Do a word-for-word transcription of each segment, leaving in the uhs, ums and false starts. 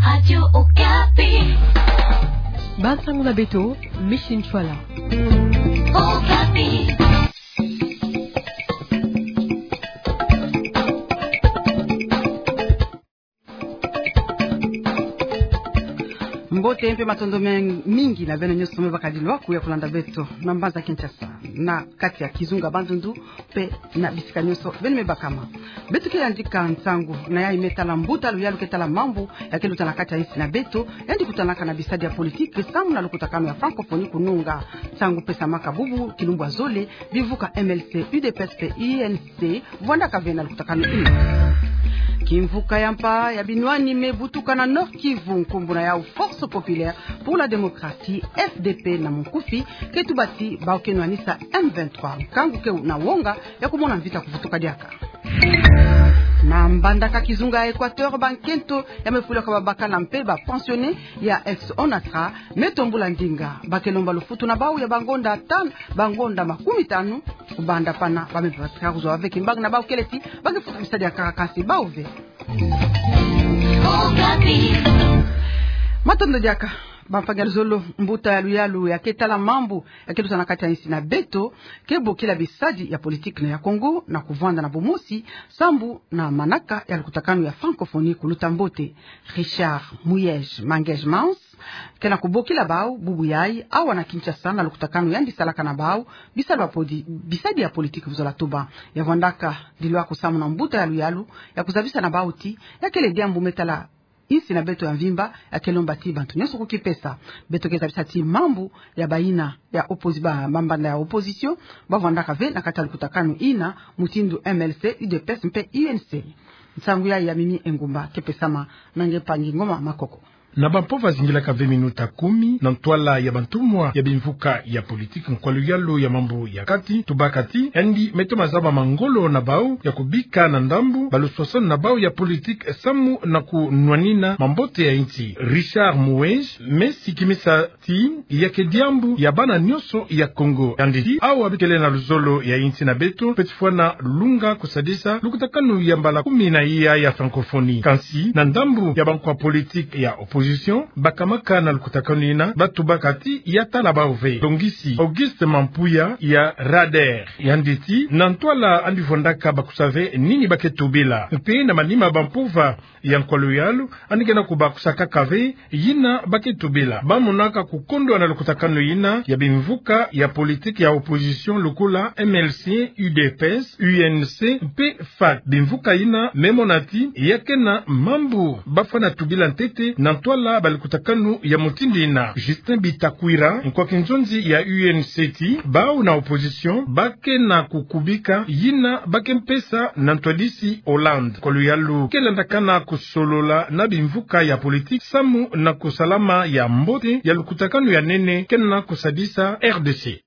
Radio Okapi. Bansango na beto, Micheline Ntshwala. Okapi. Mbote mpe matondo me-, mingi na beno nyonso me bakadi lwaku ya kulanda beto na mbanza Kinshasa, na kati ya kizunga Bandundu, mpe na bisika nyonso beno me bakama. Beto ke yandika nsangu na yayi me tala mbuta luyalu ke tala mambu ya ke luta na kati ya insi na beto, yandi kutanaka na bisadi ya politiki samu na lukutakanu ya francophonie kununga. Nsangu pesamaka bubu kilumbu ya zole, bimvuka M L C, U D P S mpe U N C, vwandaka ve na lukutakanu ina. Kimvuka ya mpa ya binwani me butuka na Nord-Kivu, nkumbu na yawu Force Populaire pour la Démocratie, F D P na munkufi, ke tuba ti bawu ke nwanisa M vingt-trois, nkangu ke na wonga ya kumona mvita kuvutuka diaka. Na Mbandaka, kizunga ya Equateur, bankento ya me fwila kwa babakala mpe ba pensionnaires ya ex-ONATRA me tombula ndinga. Ba ke lomba lufutu na bawu ya bangonda tanu, bangonda makumi tanu, kubanda pana ba me patika kuzwa ve kimbangi na bawu kele ti ba ke futa bisadi ya kaka kasi bawu ve. Matondo diaka. Bampangi ya luzolo, mbuta ya luyalu ya ke tala mambu ya ke luta na kati ya insi na beto ke bokila bisadi ya politiki na ya Congo na kuvwanda na bumosi sambu na manaka ya lukutakanu ya francophonie kuluta mbote. Richard Muyej Mangej Mans ke na kubokila bawu bubu yayi awa na Kinshasa na lukutakanu yandi salaka na bawu bisalu ya podi-, bisadi ya politiki, buzola tuba. Ya vwandaka dilwaku samu na mbuta ya luyalu ya kuzabisa na bawu ti ya kele diambu me tala insi na beto ya mvimba, ya ke lomba ti bantu nyonso kukipesa. Beto ke zabisa ti mambu ya bayina ya opposi-, ba, mambanda ya opposition, ba vwandaka ve na kati ya lukutakanu ina, mutindu M L C, U D P S mpe U N C. Nsangu yayi ya Mimi Engumba ke pesama na nge mpangi Ngoma Makoko. Na bampova zingilaka ve minuta kumi, na ntwala ya bantumwa ya bimvuka ya politiki, nkwa luyalu ya mambu ya kati, tubaka ti yandi me toma zaba mangolo na bawu ya kubika na ndambu baluswaswani na bawu ya politiki samu na kunwanina mambote ya insi. Richard Muyej me sikimisa ti ya ke diambu ya bana nyonso ya Congo. Yandi ti awa bikele na luzolo ya insi na beto, peti fwana lunga kusadisa lukutakanu ya mbala kumi na iya ya francophonie. Kansi na ndambu ya bankwa politiki ya opposition bakamaka na lukutakanu ina, ba tubaka ti ya tala bawu ve. Tongisi Auguste Mampuya ya Radar, yandi ti na ntwala yandi vwandaka bakusa ve nini ba ke tubila. Mpe na manima bampova ya nkwa luyalu, yandi ke na kubakisa kaka ve yina ba ke tubila. Ba monaka kukondwa na lukutakanu ina ya bimvuka ya politiki ya opposition lokola M L C, U D P S, U N C mpe FAT. Bimvuka ina me mona ti ya ke na mambu ba fwana tubila ntete na ntwala ba lukutakanu ya mutindu ina. Justin Bitakwira, nkwa kinzonzi ya U N C ti bawu na opposition ba ke na kukubika yina ba ke mpesa na ntwadisi Hollande. Nkwa luyalu ke landakana kusolola na bimvuka ya politiki samu na kusalama ya mbote ya lukutakanu ya nene ke na kusadisa R D C.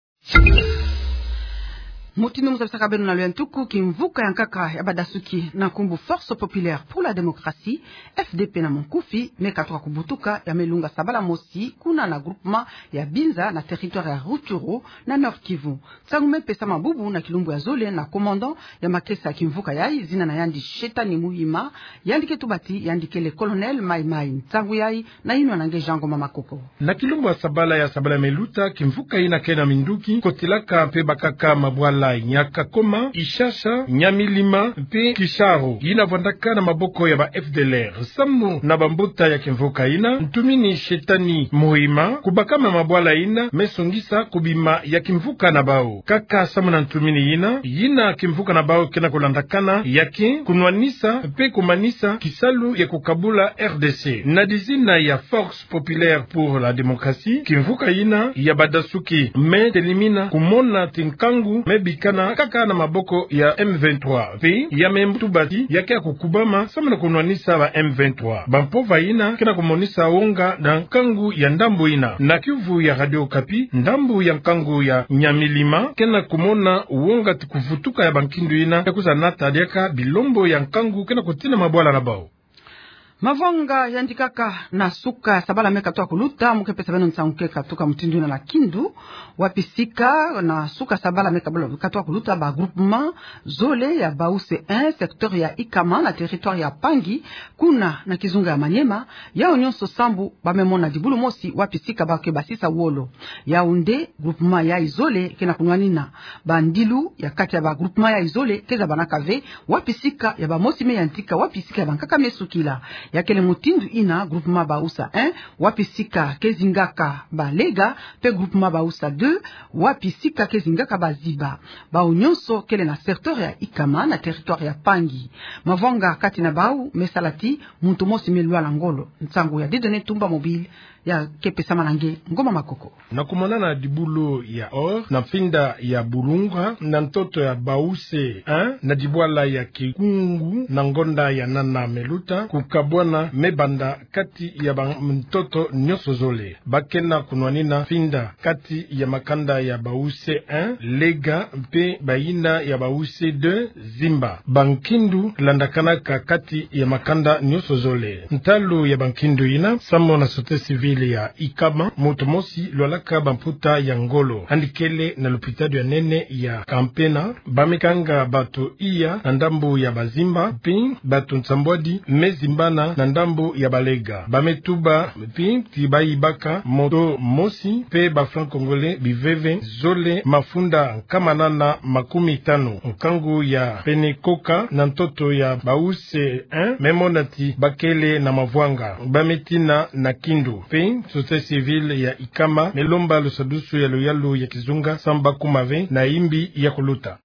Mutindu mu zabisaka beno na luyantuku, kimvuka ya nkaka ya badasuki na nkumbu Force Populaire pour la Démocratie, F D P na munkufi, me katuka kubutuka, ya me lunga sabala mosi kuna na groupement ya Binza na territoire ya Rutshuru na Nord-Kivu. Nsangu me pesama bubu na kilumbu ya zole na commandant ya makesa ya kimvuka yayi, zina na yandi Shetani Muhima, yandi ke tuba ti yandi kele colonel Mai Mai. Nsangu yayi na yinwa na nge Jean Ngoma Makoko. Na kilumbu ya sabala ya sabala me luta, kimvuka ina ke na minduki kotilaka mpe bakaka mabwala Nyakakoma, Ishasha, Nyamilima mpe Kisharo, ina vwandaka na maboko ya ba F D L R. Samu na bambuta ya kimvuka ina, ntumini Shetani Muhima, kubakama mabwala ina me songisa kubima ya kimvuka na bawu. Kaka samu na ntumini ina, yina kimvuka na bawu ke na kulandakana ya ke kunwanisa mpe kumanisa kisalu ya kukabula R D C. Na dizina ya Force Populaire pour la Démocratie, kimvuka ina ya badasuki me telimina kumona ti nkangu me bikana kaka na maboko ya M vingt-trois. Mpe ya me tuba ti ya ke ya kukubama samu na kunwanisa ba M vingt-trois. Bampova ina ke na kumonisa wonga na nkangu ya ndambu ina. Na kiuvu ya Radio Okapi, ndambu ya nkangu ya Nyamilima ke na kumona wonga ti kuvutuka ya bankindu ina ya kwiza nata diaka bilombo ya nkangu ke na kutina mabwala na bawu. Mavanga yandi kaka na suka sabala me katoka kuluta, mu ke pesa beno nsangu ke katuka mutindu yina na kindu. Wapi sika na suka sabala me kabala katoka kuluta, ba groupement zole ya Bawuse un, secteur ya Ikama na territoire ya Pangi, kuna na kizunga ya Maniema, yau nyonso sambu ba me mona dibulu mosi wapi sika ba ke basisa wolo. Yau nde groupement yayi zole ke na kunwanina. Bandilu ya kati ya ba groupement yayi zole ke zabanaka ve wapi sika ya bamosi me yantika, wapi sika ya bankaka me sukila. Ya kele mutindu yina groupement Bawuse un, wapi sika ke zingaka Balega, pe groupement Bawuse deux, wapi sika ke zingaka Baziba. Bau nyonso kele na secteur ya Ikama na territoire ya Pangi. Mavanga kati na bau me sala ti muntu mosi me lwala ngolo. Nsangu ya Dieudonné Tumba Mobile, ya ke pesama na nge Ngoma Makoko. Na kumonana dibulu ya or na mfinda ya Bulunga, na ntoto ya Bawuse un, na dibwala ya Kikungu, na ngonda ya nana me luta, kukabwana me banda kati ya bantoto nyonso zole. Ba ke na kunwanina mfinda kati ya makanda ya Bawuse un, Lega, mpe bayina ya Bawuse deux, Zimba. Bankindu landakanaka kati ya makanda nyonso zole. Ntalu ya bankindu yina, samu na société civile ya Ikama, muntu mosi lwalaka bamputa ya ngolo, yandi kele na lupitalu ya nene ya Kampena. Ba me kanga bato iya na ndambu ya Bazimba, mpe bato nsambwadi me zimbana na ndambu ya Balega. Ba me tuba mpe ti ba yibaka moto mosi mpe ba francs congolais biveve zole, mafunda nkama nana makumi tanu. Nkangu ya pene koka na ntoto ya Bawuse un me mona ti ba kele na mavanga. Ba me tina na kindu, mpe société civile ya Ikama me lomba lusadusu ya luyalu ya kizunga samu ba kuma ve na yimbi ya kuluta.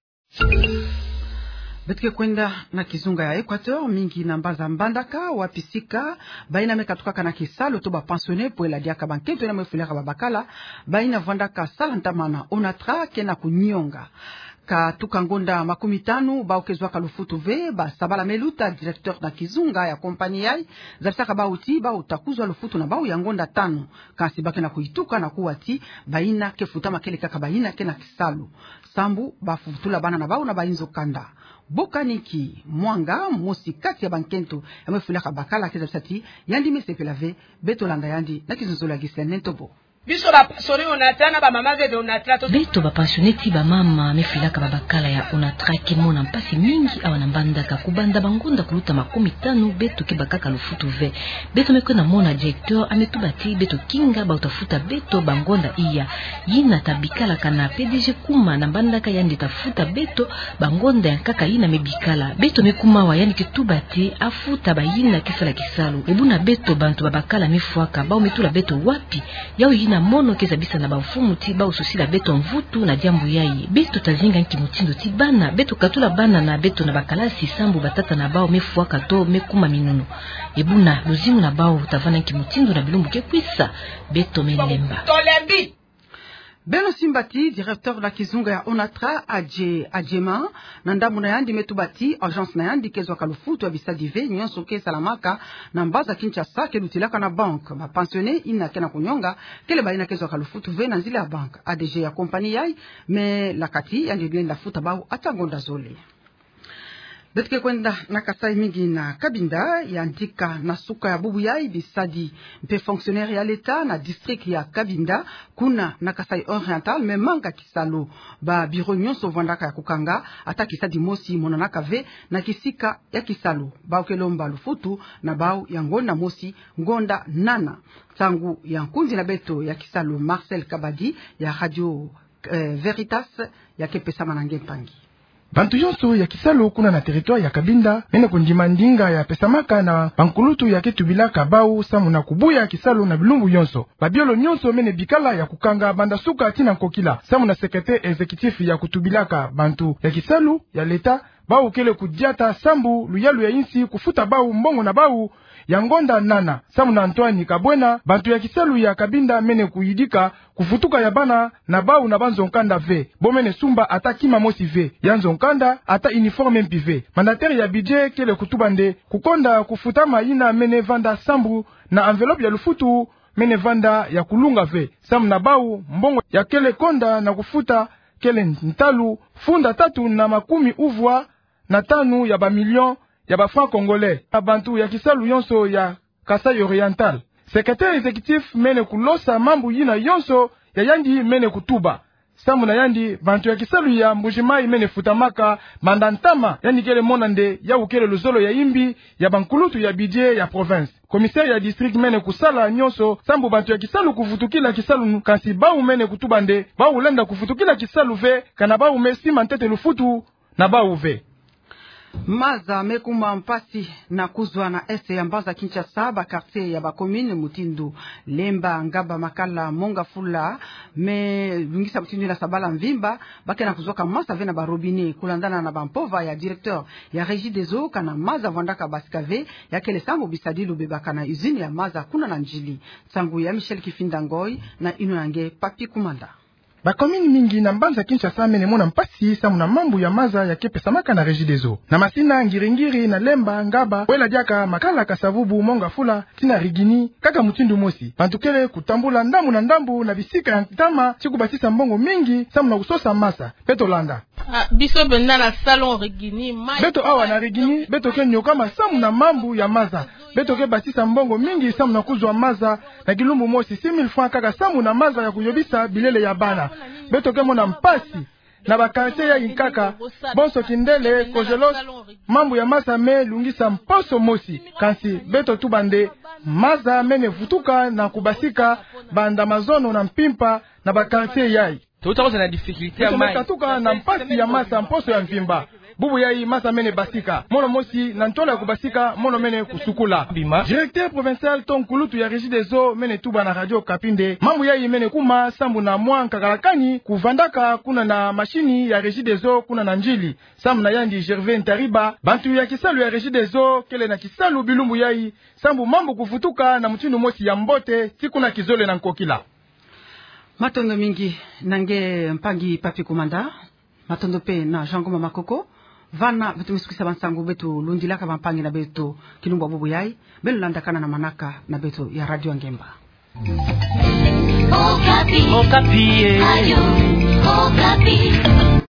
Beto ke kwenda na kizunga ya Equateur, mingi na mbaza mbandaka, wapi sika bayina me katukaka na kisalu to ba pensionnaires, pwela diaka bankento yina me fwilaka babakala, bayina vandaka sala ntama na Onatra ke na kunionga. Katuka ngonda makumi tanu, bau ke zwaka lufutu ve. Ba sabala me luta, directeur na kizunga ya compagnie yayi zabisaka bau ti bau ta kuzwa lufutu na bau ya ngonda tanu. Kansi ba ke na kuyituka na kuwa ti bayina ke futama kele kaka bayina ke na kisalu, sambu ba futula bana na bau na bayinzo kanda. Bokaniki Mwanga, mosi kati ya bankento ya me fwilaka bakala, ke zabisa ti yandi me sepela ve. Beto landa yandi na kizunzolo ya Ghislaine Ntobo. Biso ba pensionnaires Onatra na bamama veve Onatra to. Beto ba pensionnaires ti bamama me fwilaka babakala ya Onatra ke mona mpasi mingi awa na mbandaka. Kubanda bangonda kuluta makumi tanu, beto ke bakaka lufutu ve. Beto me kwenda mona directeur, a me tuba ti beto kinga bau ta futa beto bangonda iya. Yina ta bikalaka na P D G kuma na mbandaka, yandi ta futa beto bangonda ya nkaka yina me bikala. Beto me kuma awa, yandi ke tuba ti a futa bayina ke sala kisalu. E buna beto bantu babakala me fwaka, bau me tula beto wapi? Yau yina mono ke zabisa na bamfumu ti bau susila beto mvutu na diambu yayi. Beto ta zinga nki mutindu ti bana? Beto katula bana na beto na bakalasi sambu batata na bau me fwaka to me kuma minunu. E buna luzingu na bau ta vanda nki mutindu na bilumbu ke kwisa? Beto me lemba. Beno simba ti directeur na kizunga ya Onatra, Adje-, Adjema, na ndambu na yandi me tuba ti agence na yandi ke zwaka lufutu ya bisadi ve nyonso ke salamaka na mbaza Kinshasa ke lutilaka na banque. Ba pensionnaires yina ke na kunionga kele bayina ke zwaka lufutu ve na nzila ya banque. A D G ya compagnie yayi me laka ti yandi lenda futa bau ata ngonda zole. Beto ke kwenda na Kasaï, mingi na Cabinda, yandika na suka ya bubu yayi bisadi mpe fonctionnaires ya l'État na district ya Cabinda, kuna na Kasaï Oriental, me manga kisalu. Ba bureau nyonso vandaka ya kukanga, ata kisadi mosi monanaka ve na kisika ya kisalu. Bau ke lomba lufutu na bau ya ngonda mosi, ngonda nana. Nsangu ya nkundi na beto ya kisalu Marcel Kabadi ya Radio, eh, Veritas, ya ke pesama na nge mpangi. Bantu yonso ya kisalu kuna na territoire ya Cabinda mene kundima ndinga ya pesamaka na bankulutu ya ke tubilaka bau samu na kubuya kisalu na bilumbu yonso. Babiolo nyonso mene bikala ya kukanga banda suka tii na nkokila, samu na secrétaire exécutif ya kutubilaka bantu ya kisalu ya l'État, bau kele kudiata sambu luyalu ya insi kufuta bau mbongo na bau ya ngonda nana. Samu na Antoine Kabwena, bantu ya kisalu ya Cabinda mene kuyidika kuvutuka ya bana na bau na banzo-nkanda ve. Bo mene sumba ata kima mosi ve. Ya nzo-nkanda ata uniforme mpi ve. Mandataire ya budget kele kutuba nde kukonda kufutama yina mene vanda sambu na enveloppe ya lufutu mene vanda ya kulunga ve. Samu na bau, mbongo ya kele konda na kufuta kele ntalu funda tatu na makumi uvwa na tanu ya ba millions ya ba Francs-Congolais, na bantu ya kisalu yonso ya Kasaï Oriental. Secrétaire exécutif mene kulosa mambu yina yonso ya yandi mene kutuba. Sambu na yandi, bantu ya kisalu ya Mbuji-Mayi mene futamaka manda ntama, yandi kele mona nde yawu kele luzolo ya imbi ya bankulutu ya budget ya province. Commissaire ya district mene kusala yonso sambu bantu ya kisalu kuvutukila kisalu, kansi bawu mene kutuba nde bawu lenda kuvutukila kisalu ve, kana bawu me sima ntete lufutu na bawu ve. Maza me kuma mpasi na kuzwa na est ya mbanza Kinshasa, ba quartier ya ba commune mutindu Lemba, Ngaba, Makala, Mont-Ngafula, me lungisa mutindu yina sabala mvimba, ba ke na kuzwaka maza ve na ba robinet, kulandana na ba mpova ya directeur ya Regideso, kana maza vwandaka basika ve, ya kele sambu bisadilu bebaka na usine ya maza kuna na Ndjili. Nsangu ya Michel Kifinda Ngoi, na yinwa ya nge Papy Koumanda. Ba commune mingi na mbanza Kinshasa mene mona mpasi sambu na mambu ya maza ya ke pesamaka na Regideso. Na Masina, Ngiri-Ngiri, na Lemba, Ngaba, wela diaka Makala, Kasa-Vubu, Mont-Ngafula, tii na Rigini, kaka mutindu mosi. Bantu kele kutambula ndambu na ndambu na bisika ya ntama, tii kubasisa mbongo mingi sambu na kusosa maza. Beto landa. Ah, biso benda na salon Rigini, mai- Beto awa na Rigini, beto ke nyokama sambu na mambu ya maza. Beto ke basisa mbongo mingi sambu na kuzwa maza, na kilumbu mosi six mille francs kaka sambu na maza ya kuyobisa bilele ya bana. Beto ke mona mpasi na ba quartier ya nkaka, bonso kindele, Kojelos, mambu ya maza me lungisa mposo mosi. Kansi beto tuba nde maza mene vutuka na kubasika banda mazono na mpimpa na ba quartier yai. Totoko za na difficulté ya mai. Beto me katuka na mpasi ya maza mposo ya mvimba. Bubu yai maza mene basika. Mono mosi na ntwala ya kubasika, mono mene kusukula. Bima. Directeur provincial to nkulutu ya Regideso mene tuba na Radio Okapi nde mambu yai mene kuma sambu na mwa nkakalakani kuvandaka kuna na machine ya Regideso kuna na Ndjili. Sambu na yandi Gervais Ntariba, bantu ya kisalu ya Regideso kele na kisalu bilumbu yai sambu mambu kuvutuka na mutindu mosi ya mbote, tii kuna kizole na nkokila. Matondo mingi na nge mpangi Papy Koumanda. Matondo mpe na Jean Ngoma Makoko. Vana beto me sukwisa ba nsangu beto lundilaka bampangi na beto kilumbu ya bubu yai. Beno landakana na manaka na beto ya Radio Ngemba. Okapi. Okapi, eh. Radio Okapi.